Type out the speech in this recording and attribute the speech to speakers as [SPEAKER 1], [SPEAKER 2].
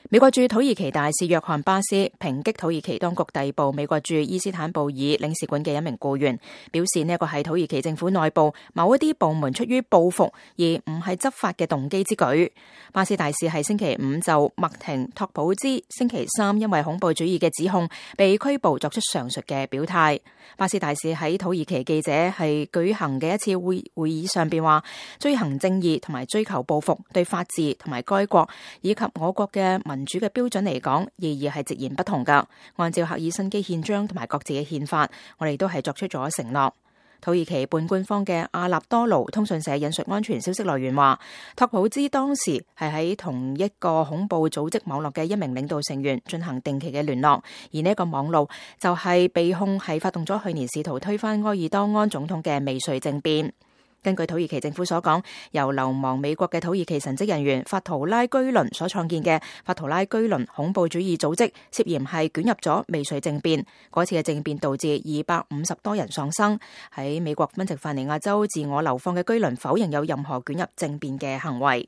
[SPEAKER 1] 美國駐土耳其大使約翰巴斯抨擊土耳其當局逮捕美國駐伊斯坦布爾領事館嘅一名僱員，表示呢一個係土耳其政府內部某一啲部門出於報復而唔係執法嘅動機之舉。巴斯大使係星期五就麥廷托普茲星期三因為恐怖主義嘅指控被拘捕作出上述嘅表態。巴斯大使喺土耳其記者係舉行嘅一次會議上邊話，追行正義同埋追求報復對法治同埋該國以及我國嘅民主嘅標準嚟講，意義係截然不同噶。按照赫爾辛基憲章同埋各自嘅憲法，我哋都係作出咗承諾。土耳其半官方嘅阿納多盧通訊社引述安全消息來源話，托普茲當時係喺同一個恐怖組織網絡嘅一名領導成員進行定期嘅聯絡，而呢一個網路就係被控係發動咗去年試圖推翻埃爾多安總統嘅未遂政變。根據土耳其政府所講，由流亡美國嘅土耳其神職人員法圖拉居倫所創建嘅法圖拉居倫恐怖主義組織涉嫌係捲入咗未遂政變。嗰次嘅政變導致250多人喪生。喺美國賓夕法尼亞州自我流放嘅居倫否認有任何捲入政變嘅行為。